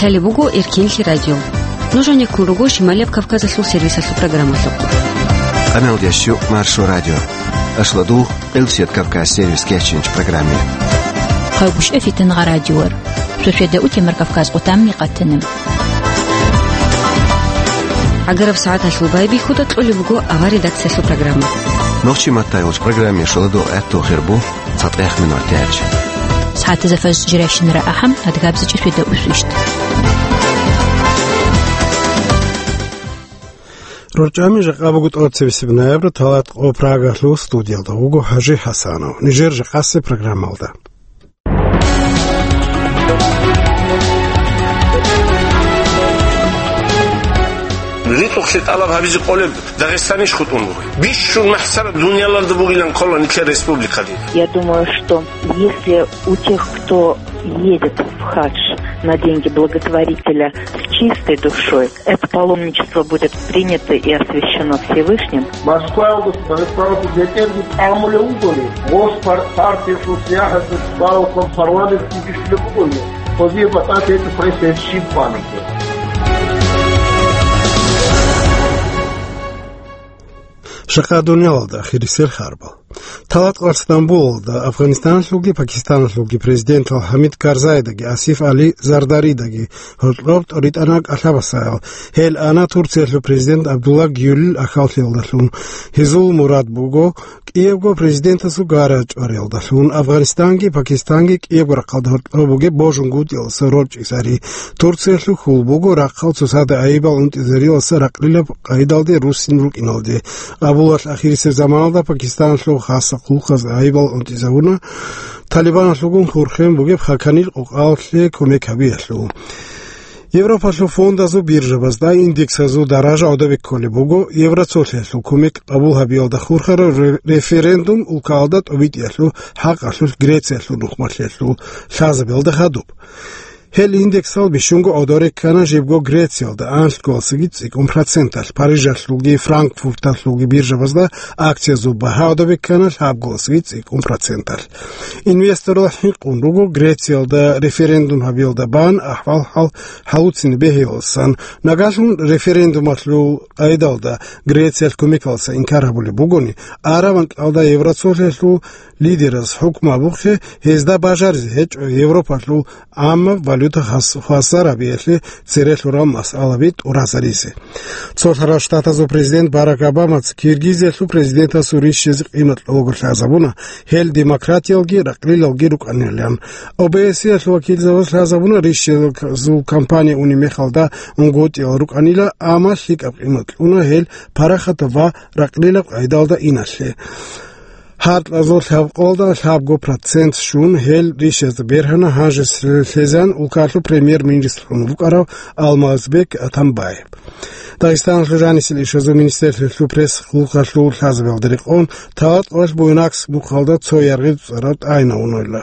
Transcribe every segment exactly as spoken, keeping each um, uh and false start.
Лъалеб буго Эркенлъи радио. Нуж гьанеккун руго Шималияб Кавказалъул сервисалъул программалъухъ. Къаналдияс щу Маршо радио. Ашлодул Къилсият Кавказ сервис кечинч программе. Хъагушев Фитангъа радиор. Суседа утемар Кавказ къутамни къатана. Агараб сагӀаталъул байбихьуда кьолеб буго авар редакциялъул программа. Нохчи маттайолч программе шоладо этту хирбу. ЦатӀехъ минут тяч. СагӀатазда фаз жирайщинара ахӀам, адгабзичӀи светда усвищт. РорчӀами жакъа буго тӀоцебесеб ноябрь, талат къо Прагалъул студиялда вуго ХӀажи ХӀасанов. Нижер жакъасе программалда. Ритӏухълъи тӀалаб гьабизе къолеб Дагъистанищ хутӀун бугеб? Бищун махсара дуниялалда бугилан ккола нилъер республикаде. Я думаю, что если у тех, кто едет в хадж на деньги благотворителя с чистой душой, это паломничество будет принято и освящено Всевышним. Москваялдаса Дагъистаналъул бетӀерги тӀамулев вугони, Госпартиялъул сияхӀаталъул парламентги бихьулеб бугони, гьезие батӀа течӀеб гьечӀеб щиб бани. Жакъа дуниялалда ахирисел харбал. Талат къварц Стамбулалда Афганистаналъулги Пакистаналъулги президентал ХӀамид Карзайдаги Асиф Али Зардаридаги гьоркьоб тӀоритӀана кӀалъабасаял. Гьел ана Турциялъул президент Абдулла Гюлил ахьаллъиялдалъун. Гьезул мурад буго кӀиябго президентасул гара чӀвариялдалъун. Афганистанги Пакистанги кӀиябго рахъалда гьоркьоб бугеб божунгутӀиялдаса рорчӀи сари. Турциялъул хьул буго рахъал цоцазда гӀайибал унтӀизариялдаса ракълилаб къайдалде руссин рукӀиналде. Абулалъ ахирисеб заманалда Пакистаналъул хасаб хъулухъаз гӀайибал унтӀизавуна Талибаналъулгун хурхен бугеб хӀаканил къокъалъе кумек гьабиялъул. Европалъул фондазул биржабазда индексазул даража гӀодобе кколеб буго евроцолъиялъул кумек къабул гьабиялда хурхараб ре-, референдум улкаялда тӀобитӀиялъул хӀакъалъулъ Грециялъул нухмалъиялъул лъазабиялда хадуб. Гьел индексал бищунго гӀодоре ккана жибго Грециялда анлъго цӀикӀкӀун проценталъ, Парижалъулги Франкфурталъулги биржабазда акциязул багьа гӀодобе ккана лъабго цӀикӀкӀун проценталъ. Инвесторал хӀинкъун руго Грециялда референдум гьабиялда бан ахӀвал-хӀал гьалуцин бегьиялдасан. Нагагьлъун референдумалъул къайдалда Грециялъ кумекалдаса инкар гьабулеб бугони, араван кьалда Евроцолъиялъул лидераз хӀукму абухъе, гьезда бажаризе гьечӀо Европалъул гӀаммаб валюта хас-, хвасар гьабиялъе цере лъурал масъалаби тӀуразаризе. Цолъарал Штатазул президент Барак Обамаца Киргизиялъул президентасул рищезе къимат кьолаго лъазабуна, гьел демократиялги ракълилалги рукӀанилан. ОБСЕ-ялъул вакилзабаз лъазабуна рищезул кампания унеб мехалда унгутӀиял рукӀанила, амма лъикӀаб къимат кьуна гьел парахатаб ва ракълилаб къайдалда иналъе. Гьаркьазул лъабкъоялда лъабго процент щун гьел рищазда бергьана гьанже лъезан улкалъул премьер-министрлъун вукӀарав Алмазбек Атамбаев. Дагъистаналъул жанисел ишазул министрлъиялъул пресс-хъулухъалъул лъазабиялда рекъон, талат къоялъ Буйнакск мухъалда цо яргъи цӀарав тӀайнавунила.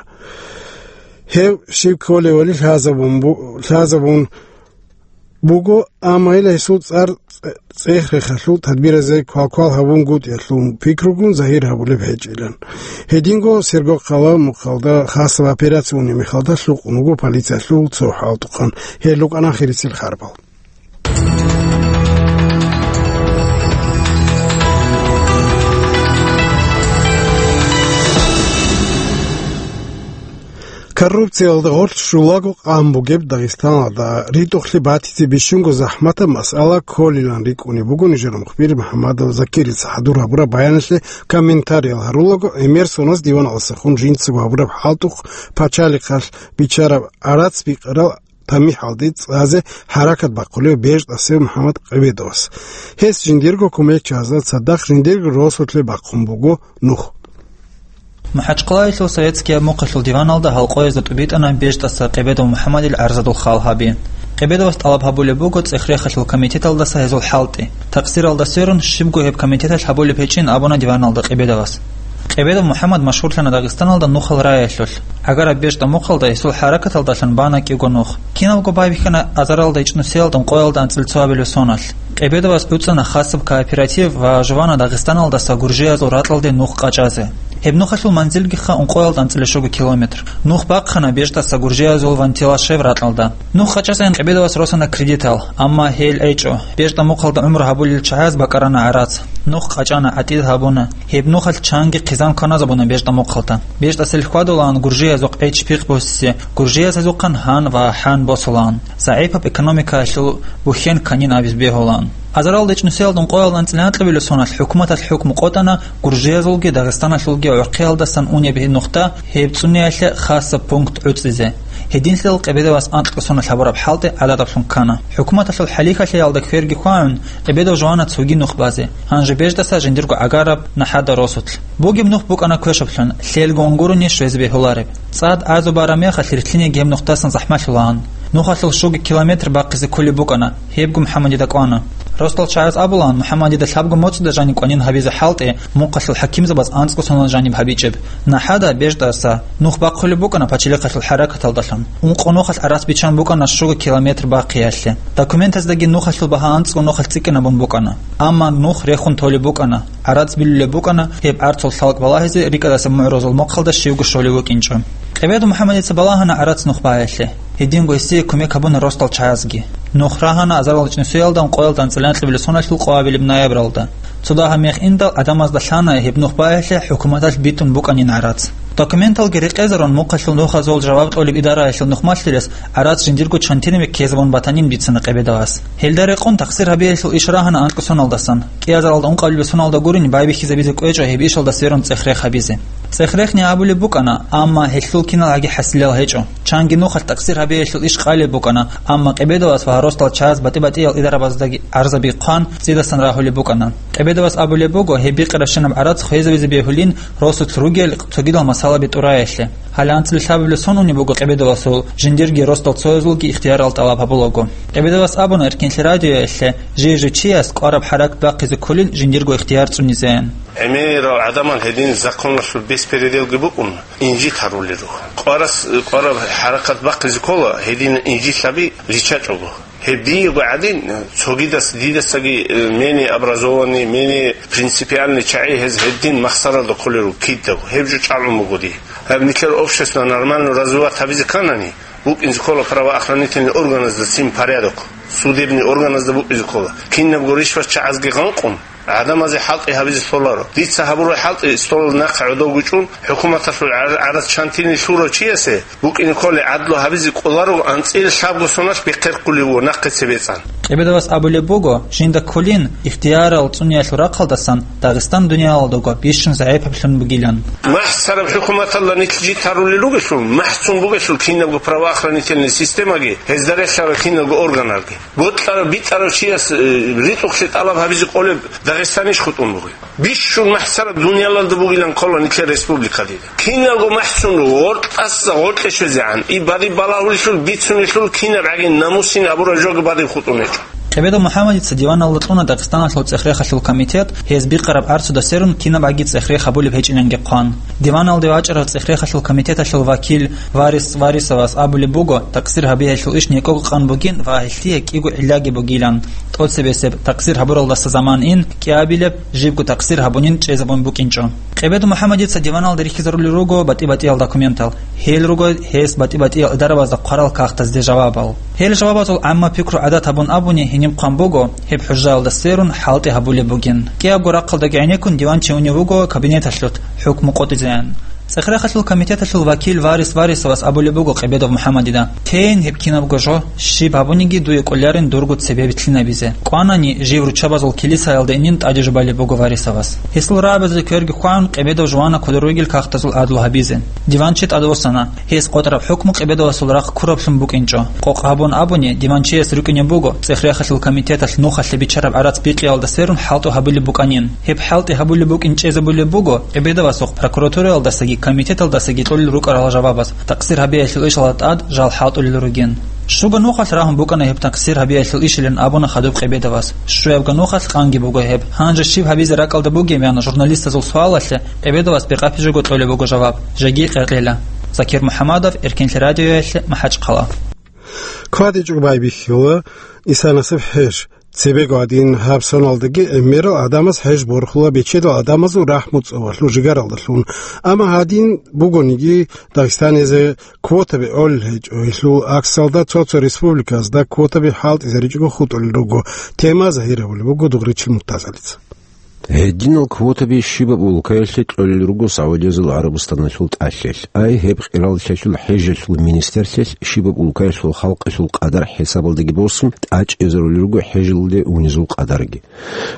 Гьев щиб кколевали лъазабун бу-, лъазабун буго, амма ила гьесул цӀар цӀе-, цӀех-рехалъул тадбиразе квалквал гьабунгутӀиялъул пикругун загьир гьабулеб гьечӀилан. Гьединго Сергокъала мухъалда хасаб операция унеб мехалда лъукъун вуго полициялъул цо хӀалтӀухъан. Гьел рукӀана ахирисел харбал. Коррупциялда гъорлъ щулаго къан бугеб Дагъистаналда ритӀухълъи батизе бищунго захӀматаб масъала кколилан рикӀкӀунеб буго нижер мухбир МухӀаммадов Закирица хӀадур гьабураб баяналъе комментариял гьарулаго, гӀемер соназ диваналдасахун жинцаго гьабураб хӀалтӀухъ пачалихъалъ бичараб гӀарац бикъарал тамихӀалде цӀазе хӀаракат бахъулев БежтӀасев МухӀаммад Къебедовас. Гьес жиндирго кумекчиясда цадахъ жиндирго росулъе бахъун буго нух. МахӀачхъалаялъул советскияб мухъалъул диваналда гьалкъоязда тӀубитӀана БежтӀаса Къебедов МухӀаммадил гӀарзадул хал гьаби. Къебедовас тӀалаб гьабулеб буго цӀех-рехалъул комитеталдаса гьезул хӀалтӀи. Такъсиралда сверун, щибго гьеб комитеталъ гьабулеб гьечӀин абуна диваналда Къебедовас. Къебедов МухӀаммад машгьурлъана Дагъистаналда нухал раялъулъ. ГӀагараб БежтӀа мухъалда гьесул хӀаракаталдалъун бана кӀиго нух. Киналго байбихьана азаралда ичӀнусиялда къоялда анцӀил цоабилеб соналъ. Къебедовас гӀуцӀана хасаб кооператив ва жувана Дагъистаналдаса гуржиязул ракьалде нух къачӀазе. Гьеб нухалъул манзилгиха ункъоялда анцӀила щуго километр. Нух бахъана БежтӀаса гуржиязул Вантилашев ракьалда. Нух къачӀазегӀан Къебедовас росана кредитал, амма гьел гӀечӀо. БежтӀа мухъалда гӀумру гьабулел чагӀаз бакӀарана гӀарац. Нух къачӀана, гӀатӀид гьабуна. Гьеб нухалъ чанги хъизан кваназабуна БежтӀа мухъалда. БежтӀа селъ хьвадулаан гуржиязухъ гӀеч-пихъ босизе, гуржияз гьезухъан гьан ва хӀан босулаан. ЗагӀипаб экономикаялъул бухьен кканин абизе бегьулаан. Азаралда ичӀнусиялда ункъоялда анцӀила анкьабилеб соналъ хӀукуматалъ хӀукму къотӀана гуржиязулги Дагъистаналъулги гӀурхъиялдасан унеб гьеб нухда гьеб цӀунеялъе хасаб пункт гӀуцӀизе. Гьединлъидал Къебедовас анкьго соналъ гьабураб хӀалтӀи гӀададаблъун ккана. ХӀукуматалъул хӀалихьалъиялда кверги хвагӀун, Къебедов жувана цоги нух базе, гьанже БежтӀаса жиндирго гӀагараб НахӀада росулъ. Бугеб нух букӀана квешаблъун, лъелго унгуруни щвезе бегьулареб. ЦӀад гӀазу бараб мехалъ рилълъинеги гьеб нухдасан захӀмалъулаан. Нухалъул щуго километр бахъизе кколеб букӀана, гьебго МухӀаммадида кӀвана. Росдал чагӀаз абулаан, МухӀаммадида лъабго моцӀида жаниб кӀванин гьабизе хӀалтӀи, мухъалъул хӀакимзабаз анцӀго соналъ жаниб гьабичӀеб. НахӀада, БежтӀаса, нух бахъулеб букӀана пачалихъалъул хӀаракаталдалъун. Ункъо нухалъ гӀарац биччан букӀана щуго километр бахъиялъе. Документаздаги нухалъул багьа анцӀго нухалъ цӀикӀкӀинабун букӀана. Амма нух рехун толеб букӀана, гӀарац билулеб букӀана гьеб гӀарцул лъалкӀ балагьизе рикӀкӀадаса мугӀрузул мухъалда щивго щолев вукӀинчӀо. Къебедов МухӀаммадица балагьана гӀарац нух багьиялъе. Гьединго гьесие кумек гьабуна росдал чагӀазги. Нух рагьана азарал ичӀнусиялда ункъоялда анцӀила анкьабилеб соналъул къоабилеб ноябралда. Цо дагьаб мех индал гӀадамазда лъана гьеб нух багьиялъе хӀукуматалъ битӀун букӀанин гӀарац. Документалги рекъезарун, мухъалъул нухазул жаваб тӀолеб идараялъул нухмалъилес гӀарац жиндирго чантинабе ккезабун батанин бицана Къебедовас. Гьелда рекъон такъсир гьабиялъул иш рагьана анкьго соналдасан. КӀиазаралда ункъабилеб соналда гурин байбихьизабизе кӀвечӀо гьеб ишалда сверун цӀех-рех гьабизе. ЦӀех-рехни гьабулеб букӀана, амма гьелъул киналгӀаги хӀасилал гьечӀо. Чанги нухалъ такъсир гьабиялъул иш къалеб букӀана, амма Къебедовас ва росдал чагӀаз батӀи-батӀиял идарабаздеги гӀарзаби хъван, цӀидасан рагьулеб букӀана. Къебедовас абулеб буго, гьеб бикъарабщинаб гӀарац хвезабизе бегьулин росулъ ругел цогидал масалаби тӀураялъе. Гьале анцӀила лъабабилеб сон унеб буго Къебедовасул, жиндирги росдал цоязулги ихтиярал тӀалаб гьабулаго. Къебедовас абуна Эркенлъи радиоялъе, жий-жий чияс кӀвараб хӀаракат бахъизе кколин жиндирго ихтияр цӀунизеян. ГӀемерал гӀадамал гьедин законалъул беспределги букӀун, инжит гьарулел руго. КӀварас, кӀвараб хӀаракат бахъизе ккола, гьедин инжитлъаби риччачӀого. Гьеб диего гӀадин, цогидас дидасаги, э, менее образованный, менее принципиальный чагӀи гьез гьедин махсаралда кколел руго кидаго. Гьеб жо чӀалгӀун буго дие. Гьаб нилъер общество нормально развивать гьабизе кканани, букӀинзе ккола правоохранительный органазда цин порядок, судебный органазда букӀизе ккола. Кинабго ришват чагӀазги гъанкъун, гӀадамазе хӀалтӀи гьабизе лъоларо. Дица гьабураб хӀалтӀи столалда нахъе гӀодовго чӀун, хӀукуматалъул гӀар-, гӀарац чантине лъурав чиясе букӀине кколеб гӀадлу гьабизе кӀоларо, анцӀила лъабго соналъ бехъерхъулев вуго нахъе цебе цӀан. Къебедовас абулеб буго, жинда кколин, ихтиярал цӀуниялъул рахъалдасан Дагъистан дуниялалдаго бищун загӀипаблъун бугилан. МахӀ цараб хӀукуматалда нилъ жит гьарулел ругелъул, махӀцун бугелъул кинабго правоохранительный системаги, гьезда релълъарал киналго органалги. Бокьарав, битӀарав чияс, э, ритӀухълъи тӀалаб гьабизе кӀолеб Дагъистанищ хутӀун бугеб? Бищун махӀ цараб дуниялалда бугилан ккола нилъер республикалда. Киналго махӀцун руго, гъоркьаса гъоркье щвезегӀан. И бариб балагьулелъул, бицунелъул кинаб гӀаги намусин абураб жоги бариб хутӀун гьечӀо. Къебедов МухӀаммадица диваналда кьуна Дагъистаналъул цӀех-рехалъул комитет, гьез бикъараб гӀарцуда сверун кинаб гӀаги цӀех-рех гьабулеб гьечӀиланги хъван. Диваналде вачӀарав цӀех-рехалъул комитеталъул вакил Варис Варисовас абулеб буго, такъсир гьабиялъул иш некӀого къан бугин ва гьелъие кӀиго гӀиллаги бугилан. ТӀоцебесеб такъсир гьабуралдаса заман ин, кӀиабилеб жибго такъсир гьабунин чӀезабун букӀинчӀо. Къебедов МухӀаммадица диваналда рихьизарулел руго батӀи-батӀиял документал. Гьел руго гьес батӀи-батӀиял идарабазда хъварал кагътазде жавабал. Гьел жавабазул гӀамма пикру гӀадат гьабун абуни гьениб хъван буго, гьеб хӀужаялда сверун хӀалтӀи гьабулеб бугин. КӀиябго рахъалдаги гӀенеккун диван чи унев вуго кабинеталъулъ хӀукму къотӀизеян. ЦӀех-рехалъул комитеталъул вакил Варис Варисовас абулеб буго Къебедов МухӀаммадида: «Тейин гьеб кинабго жо, щиб гьабуниги дуе кӀоларин дурго цебе билълъинабизе». КӀванани, жив руччабазул килисаялда инин тӀаде жубалеб буго Варисовас. Гьесул рагӀабазе кверги хъван, Къебедов жувана кодор ругел кагътазул гӀадлу гьабизе. Диванчи тӀадвуссана. Гьес къотӀараб хӀукму Къебедовасул рахъ ккураблъун букӀинчӀо. Къокъ гьабун абуни, диванчияс рукӀине буго цӀех-рехалъул комитеталъ нухалъе биччараб гӀарац бикъиялда сверун хӀалтӀу гьабулеб букӀанин. Гьеб хӀалтӀи гьабулеб букӀин чӀезабулеб буго Къебедовасухъ прокуратуралдасаги комитеталдасаги кьолел рукӀарал жавабаз, такъсир гьабиялъул ишалда тӀад жал хӀалтӀулел ругин. Щуго нухалъ рагьун букӀана гьеб такъсир гьабиялъул ишилан абуна хадуб Къебедовас. Щуябго нухалъ къанги буго гьеб. Гьанже щиб гьабизе ракӀалда бугеб? Яна журналистазул суалалъе Къебедовас бекъапи жого кьолеб буго жаваб: «Жеги къекъела». Закир МухӀаммадов, Эркенлъи радиоялъе, МахӀачхъала. Квадичук байбихьила Иса-Насип ХӀеж. Цебего гьадин гьаб соналдаги гӀемерал гӀадамаз хӀеж борхула бечедал гӀадамазул рахӀму цӀобалъул жигаралдалъун. Амма гьадин бугониги Дагъистанизе квотаби гӀолел гьечӀо, гьелъул аксалда цо-цо республиказда квотаби хӀалтӀизаричӀого хутӀулел руго. Тема загьирабулеб буго Дугъричил Муртазалица. Гьединал квотаби щибаб улкаялъе кьолел руго Саудиязул ГӀарабустаналъул тӀалъилъ. Ай гьеб къираллъиялъул хӀежалъул министрлъиялъ щибаб улкаялъул халкъалъул къадар хӀисабалдаги босун тӀачӀезарулел руго хӀежалде унезул къадарги.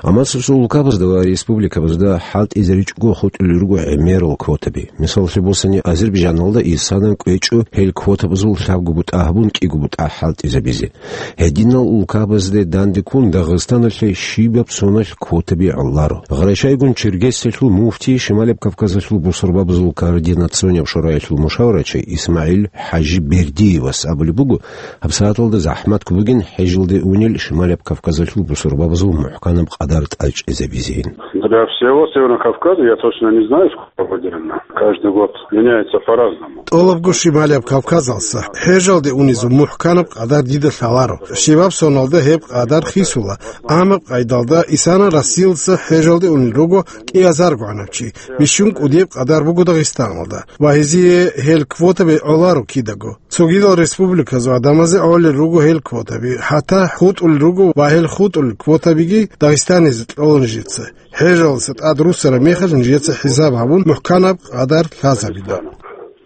Амма цо-цо улкабазда ва республикабазда хӀалтӀизаричӀого хутӀулел руго гӀемерал квотаби. Мисаллъи босани, Азербайджаналда исана кӀвечӀо гьел квотабазул лъабго бутӀа гьабун кӀиго бутӀа хӀалтӀизабизе. Гьединал улкабазде дандеккун Дагъистаналъе щибаб соналъ квотаби гӀоларо. Гърайшайгун Чергесиялъул муфтий, Шималаб Кавказалъул бусурбабазул координационияб шораялъул мушаварачи ИсмагӀил ХӀажибердиевас абулеб буго, гьабсагӀаталда захӀматго бугин хӀежалде унел Шималаб Кавказалъул бусурбабазул мухӀканаб къадар тӀачӀезабизейин. Для всего Северного Кавказа я точно не знаю, сколько выделено. Каждый год меняется по-разному. ТӀолабго Шималаб Кавказалса хӀежалде унезул мухӀканаб къадар дида лъаларо. Щибаб соналда гьеб къадар хисула. ГӀамаб къайдалда исана Россиялдаса хӀежалде унел руго кӀиазарго гӀанаб чи, бищун кӀудияб къадар буго Дагъистаналда. Ва гьезие гьел квотаби гӀоларо кидаго. Цогидал республиказул гӀадамазе гӀолел руго гьел квотаби, хӀатта хутӀулел руго ва гьел хутӀулел квотабиги Дагъистанизе кьола нижеца. ХӀежалдаса тӀад руссараб мехалъ нижеца хӀисаб гьабун, мухӀканаб къадар лъазабила.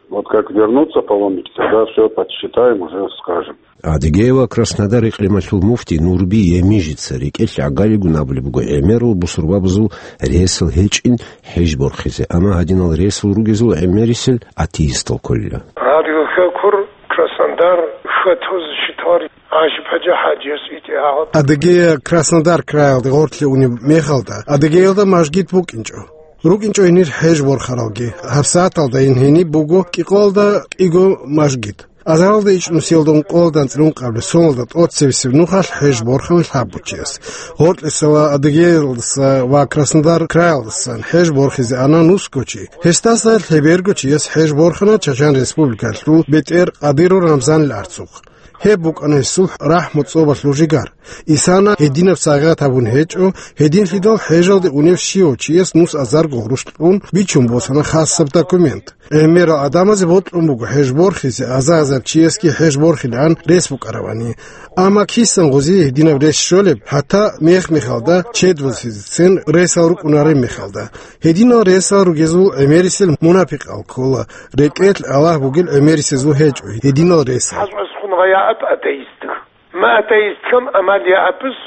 Вот как вернутся паломники, тогда всё подсчитаем, уже скажем. Адыгея ва Краснодар икълималъул муфтий Нурби Емижица рекӀелъ гӀагалигун абулеб буго гӀемерал бусурбабазул ресал гьечӀин хӀеж борхизе, амма гьадинал ресал ругезул гӀемерисел атеистал кколила. Гьадинал хьекур Краснодар хьатуз щитар Гьажи-пажа хӀажияс итӀигӀагьаб. Адыгея Краснодар краялде гъорлъе унеб мехалда, Адыгеялда мажгит букӀинчӀо. РукӀинчӀо гьенир хӀеж борхаралги. ГьабсагӀаталдайин гьениб буго кӀикъоялда кӀиго мажгит. Азаралда ичӀнусиялда ункъоялда анцӀила ункъабилеб соналда тӀоцебесеб нухалъ хӀеж борхана лъабго чияс. Гъоркьесала Адыгеялдаса ва Краснодар краялдасан хӀеж борхизе ана нусго чи. Гьесдаса лъеберго чияс хӀеж борхана Чачан Республикалъул бетӀер Кадыров Рамзанил арцухъ. Гьеб букӀана гьесул рахӀму цӀобалъул жигар. Исана гьединаб сайгъат гьабун гьечӀо, гьединлъидал хӀежалде унев щивав чияс нус азарго гъурущ кьун бичун босана хасаб документ. ГӀемерал гӀадамазе бокьун буго хӀеж борхизе, аза-азар чиясги хӀеж борхилаан рес букӀаравани. Амма кисан гъозие гьединаб рес щолеб, хӀатта мех-мехалда чед босизецин ресал рукӀунареб мехалда? Гьединал ресал ругезул гӀемерисел мунапикъал ккола, рекӀелъ Аллагь бугел гӀемерисезул гьечӀо гьединал ресал. ХӀажбас хун гъая атеистих. Ма атеистхам амал яапус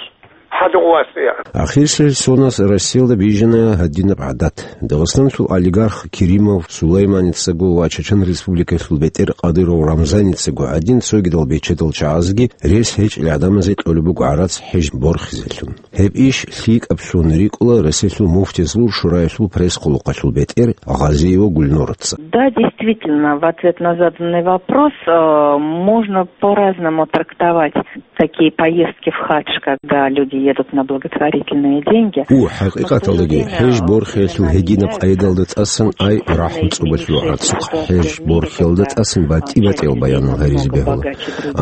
хӀалугъвасеян. Ахирсел сонас Россиялда бижана гьадинаб гӀадат. Дагъистаналъул олигарх Керимов Сулайманицаго ва Чачан Республикалъул бетӀер Кадыров Рамзаницаго гӀадин цогидал бечедал чагӀазги рес гьечӀел гӀадамазе кьолеб буго гӀарац хӀеж борхизелъун. Гьеб иш лъикӀаблъун рикӀкӀула Россиялъул муфтиязул шураялъул пресс-къулухъалъул бетӀер Гъазиева Гульнураца. Да, действительно, в ответ на заданный вопрос, э, можно по-разному трактовать такие поездки в хадж, когда люди едут на благотворительные деньги. У, хӀакъикъаталдаги, хӀеж борхиялъул гьединаб къайдалда тӀасан ай рахӀму цӀобалъул гӀарцухъ хӀеж борхиялда тӀасан батӀи-батӀиял баянал гьаризе бегьула.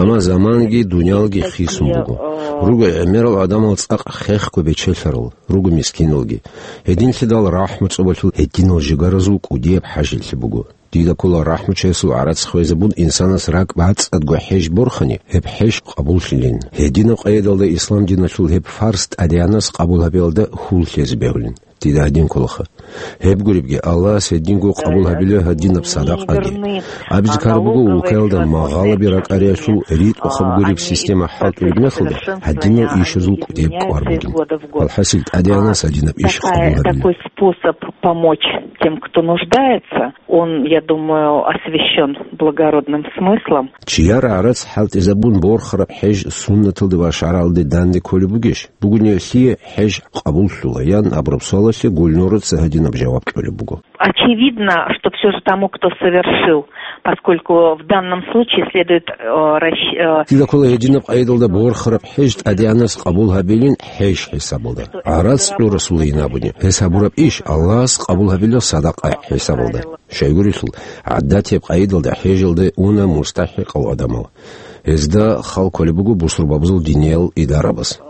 Амма заманги дуниялги хисун буго. Руго гӀемерал гӀадамал цӀакъ хехго бечелъарал, руго мискиналги. Гьединлъидал рахӀму цӀобалъул гьединал жигаразул кӀудияб хӀажилъи буго. Дида ккола рахӀму чиясул гӀарац хвезабун инсанас ракӀбацӀцӀадго хӀеж борхани, гьеб хӀеж къабуллъилин. Гьединаб къайдалда ислам диналъул гьеб фарз тӀадегӀанас къабул гьабиялда хьул лъезе бегьулин. Дида гьадин кколаха. Гьеб гуребги, Аллагьас гьединго къабул гьабила гьадинаб садакъаги. Абизе ккараб буго, улкаялда магъалаби ракӀариялъул ритӀухъаб гуреб система хӀалтӀулеб мехалда, гьадинал ишазул кӀудеб кӀвар бугин. Валхасил, ТӀадегӀанас гьадинаб иш къабул гьабила. Такой способ помочь тем, кто нуждается, он, я думаю, освящён благородным смыслом. Чияр гӀарац хӀалтӀизабун борхараб хӀеж суннаталде ва шаргӀалде данде кколеб бугищ? Бугони, лъие хӀеж къабуллъула, ян абураб суалалъе Гульнураца гьадинаб жаваб кьолеб буго. Очевидно, что всё же тому, кто совершил, поскольку в данном случае следует, э, расщ-, э, Дида ккола гьединаб къайдалда борхараб хӀеж ТӀадегӀанас къабул гьабилин хӀеж хӀисабалда. ГӀарац кьурасулайин абуни, гьес гьабураб иш Аллагьас къабул гьабила садакъа хӀисабалда. Щайгурелъул, гӀадатияб къайдалда хӀежалде уна мустахӀикъал адамал. Гьезда хал кколеб буго бусурбабазул диниял идарабаз.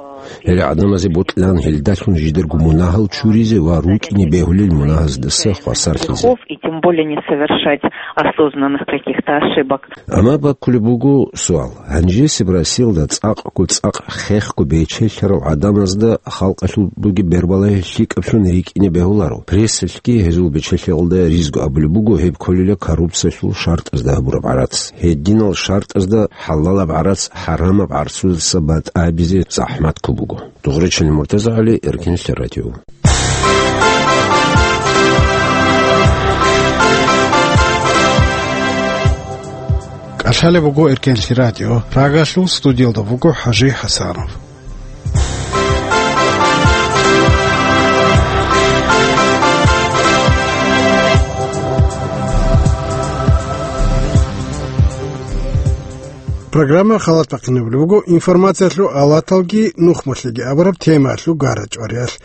Гьел гӀадамазе бокьилаан гьелдалъун жидерго мунагьал чуризе ва рукӀине бегьулел мунагьаздаса хвасарлъизе. И тем более не совершать осознанных каких-то ошибок. Амма баккулеб буго суал: гьанжесеб Россиялда цӀакъго цӀакъ хехго бечелъарал гӀадамазда халкъалъул бугеб бербалай лъикӀаблъун рикӀине бегьуларо. Прессалъги гьезул бечелъиялда ризго абулеб буго гьеб кколила коррупциялъул шартӀазда гьабураб гӀарац. Гьединал шартӀазда хӀалалаб гӀарац хӀарамаб гӀарцудаса батӀа гьабизе захӀмат ккун буго. Дугъричилин МуртазагӀали, Эркенлъи радио. КӀалъалеб буго Эркенлъи радио. Прагалъул студиялда буго ХӀажи ХӀасанов. Программа халат бахъинабулеб буго информациялъул-алаталги нухмалъиги абураб темаялъул гара-чӀвариялъ.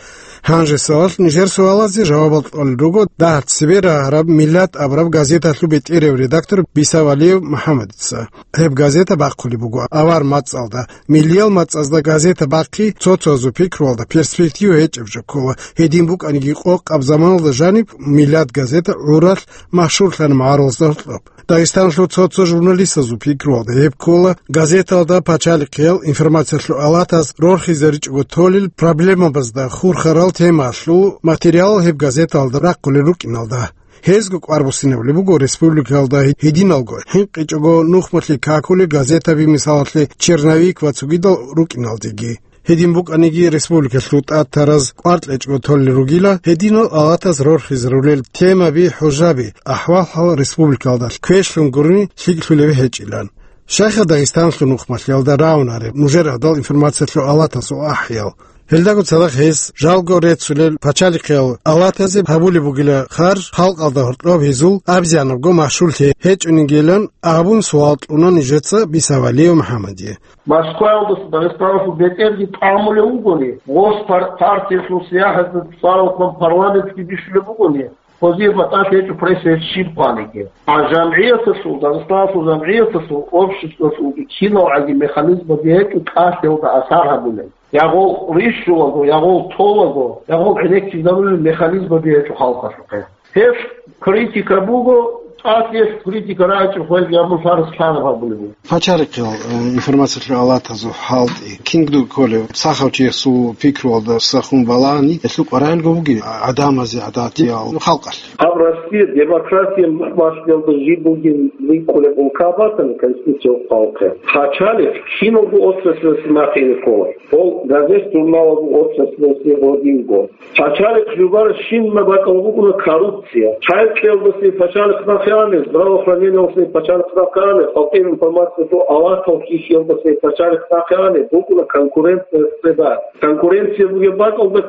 Гьанже суалалъ нижер суалазе жавабал кьолел руго дагьаб цебе рагьараб «Миллат» абураб газеталъул бетӀерав редактор Бисавалиев МухӀаммадица. Гьеб газета бахъулеб буго авар мацӀалда. Миллиял мацӀазда газета бахъи цо-цоязул пикруялда перспектива гьечӀеб жо ккола. Гьедин букӀаниги, къокъаб заманалда жаниб «Миллат» газета гӀуралъ машгьурлъана магӀарулазда гьоркьоб. Дагъистаналъул цо-цо журналистазул пикруялда гьеб ккола газеталда пачалихъиял информациялъул алатаз рорхизаричӀого толел проблемабазда хурхарал темаялъул материалал гьеб газеталда рахъулел рукӀиналда. Гьезго кӀвар буссинабулеб буго республикаялда гьединалго хӀинкъичӀого нухмалъи какулел газетаби, мисалалъе, «Черновик» ва цогидал рукӀиналдеги. Гьедин букӀаниги, республикалъул тӀад тараз кӀвар кьечӀого толел ругила гьединал алатаз рорхизарулел темаби, хӀужаби, ахӀвал-хӀал республикаялда квешлъун гурони лъикӀлъулеб гьечӀилан. Щайха Дагъистаналъул нухмалъиялда равнареб нужер гӀадал информациялъул алатазул ахӀиял? Гьелдаго цадахъ гьес жалго реццулел пачалихъиял алатазе гьабулеб бугила харж, халкъалда гьоркьоб гьезул абзиянабго машгьурлъи гьечӀониги, илан абун суал кьуна нижеца Бисавалиев МухӀаммадие. Москваялдаса Дагъистаналъул бетӀерги тӀамулев вугони, гъос пар-, партиялъул сияхӀаталда цӀалулъун парламентги бихьулеб бугони, гъозие батӀалъи гьечӀо пресса гьеб щиб къваниги. А жамгӀияталъул, Дагъистаналъул жамгӀияталъул, обществалъулги киналгӀаги механизмаби гьечӀо кӀалъиялда асар гьабулел. Ягъул рищулаго, ягъул толаго, ягъул гӀенеккизабулел механизмаби гьечӀо халкъалъухъе. Гьеб критика буго, тӀад гьеб критика рагӀичӀеб хвел гьабун фарз лъараб гьабулеб буго. Пачалихъиял, э, информациялъул алатазул хӀалтӀи кинго кколев, сахав чиясул пикруялда сахун балагьани, гьелъул къваригӀинго бугеб гӀадамазе, гӀадатиял халкъалъе. Гьаб Россия демократиялъул нухмалъиялда жиб бугин рикӀкӀунеб улкаялда батани, Конституциялъул хъалухъе. Пачалихъ киналго отраслалъе нахъе ккола. Гьел газет-журналалъул отраслалъе гьединго. Пачалихъ жубараб щибаб бакӀалда букӀуна коррупция. ХӀалтӀиялдаса пачалихъ нахъе ани, здравоохранениялдаса пачалихъ нахъе ани, халкъалъул информациялъул алатал хьихьиялдаса пачалихъ нахъе ани, букӀуна конкурентная среда. Конкуренция бугеб бакӀалда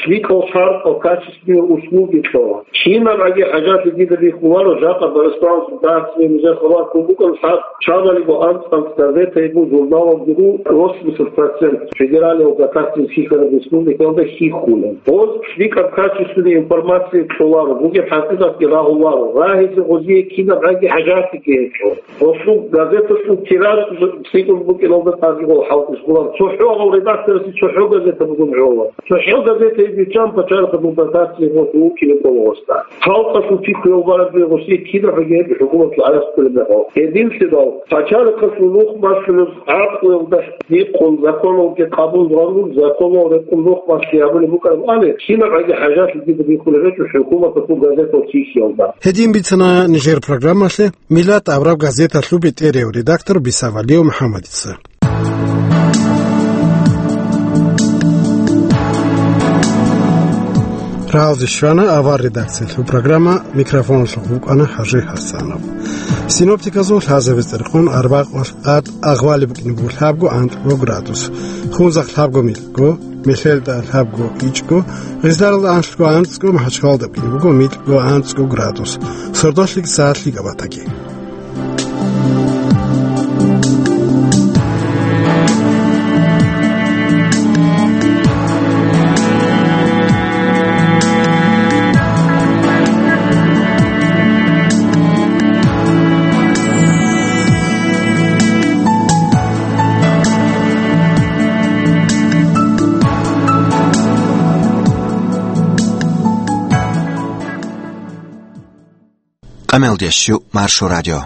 лъикӀал шартӀал, качественные услуги кьола. КинабгӀаги хӀажатлъи дида бихьуларо, жакъа Дагъистаналъул дагьаб цебе нижер хабар ккун букӀана, лъаб-, лъабалиго анцӀ-анцӀ газетаби, журналаби ру, восемьдесят процент федералиялда, касиз хьихьараб республикаялда хьихьула. Гъоз лъикӀаб качественный информация кьоларо, бугеб хӀакъикъатги рагьуларо, рагьизе гъозие кинабгӀаги хӀажатлъиги гьечӀо. Гъосул газеталъул тираж цӀикӀкӀун букӀиналда тӀадегӀан хӀалтӀизабуларо. ЦохӀо гьав редакторасе цохӀо газета бугун гӀола. ЦохӀо газетаби биччан пачалихъалъул дотация гъосул вукӀине ккола гъосда. Халкъалъул пикруялда бараб гъосие кинабгӀаги гьечӀо хӀукуматалъул гӀарац кьолеб мехалъ. Гьединлъидал пачалихъалъул нухмалъулел гӀакълуялда гьикъун, законалги къабул гьабун, законал рекъон нухмалъи гьабулеб букӀарабани, кинабгӀаги хӀажатлъи дида бихьулеб гьечӀо хӀукуматалъул газетал хьихьиялда. Гьедин бицана нижер программалъе «Миллат» абураб газеталъул бетӀерав редактор Бисавалиев МухӀаммадица. Рагьалде щвана авар редакциялъул программа, микрофоналъухъ вукӀана ХӀажи ХӀасанов. Синоптиказул лъазабиз цӀерхъун Арбакъалъ тӀад агъвали букӀине буго лъабго-анцӀго градус, Хунзахъ лъабго-микьго, Мехьелда лъабго-ичӀго, Гъизларалда анлъго-анцӀго, МахӀачхъалаялда букӀине буго микьго-анцӀго градус. Сордолъиги сагӀат лъикӀаб батаги. Мелдешлъу Маршо радио.